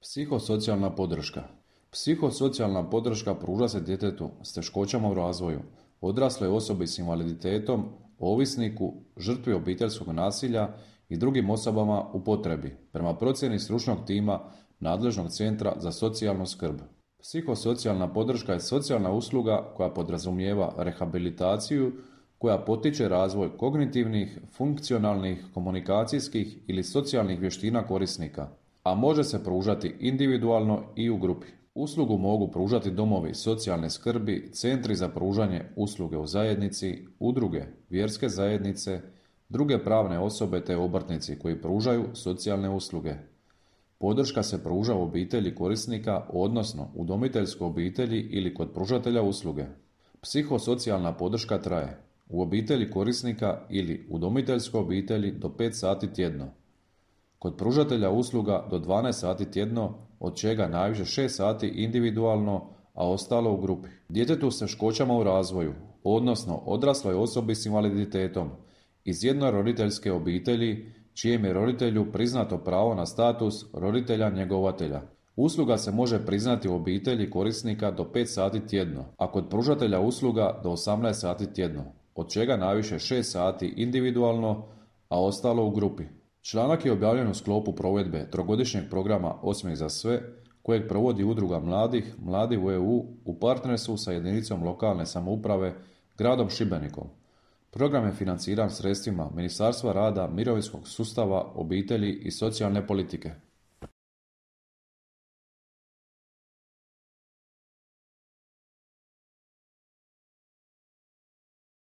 Psihosocijalna podrška. Psihosocijalna podrška pruža se djetetu s teškoćama u razvoju, odrasloj osobi s invaliditetom, ovisniku, žrtvi obiteljskog nasilja i drugim osobama u potrebi, prema procjeni stručnog tima nadležnog centra za socijalnu skrb. Psihosocijalna podrška je socijalna usluga koja podrazumijeva rehabilitaciju, koja potiče razvoj kognitivnih, funkcionalnih, komunikacijskih ili socijalnih vještina korisnika, a može se pružati individualno i u grupi. Uslugu mogu pružati domovi socijalne skrbi, centri za pružanje usluge u zajednici, udruge, vjerske zajednice, druge pravne osobe te obrtnici koji pružaju socijalne usluge. Podrška se pruža u obitelji korisnika, odnosno udomiteljskoj obitelji ili kod pružatelja usluge. Psihosocijalna podrška traje u obitelji korisnika ili udomiteljskoj obitelji do 5 sati tjedno. Kod pružatelja usluga do 12 sati tjedno, od čega najviše 6 sati individualno, a ostalo u grupi. Djetetu s teškoćama u razvoju, odnosno odrasloj osobi s invaliditetom, iz jednoroditeljske obitelji, čijem je roditelju priznato pravo na status roditelja njegovatelja. Usluga se može priznati u obitelji korisnika do 5 sati tjedno, a kod pružatelja usluga do 18 sati tjedno, od čega najviše 6 sati individualno, a ostalo u grupi. Članak je objavljen u sklopu provedbe trogodišnjeg programa Osmijeh za sve, kojeg provodi Udruga mladih, Mladi u EU, u partnerstvu sa jedinicom lokalne samouprave, gradom Šibenikom. Program je financiran sredstvima Ministarstva rada, mirovinskog sustava, obitelji i socijalne politike.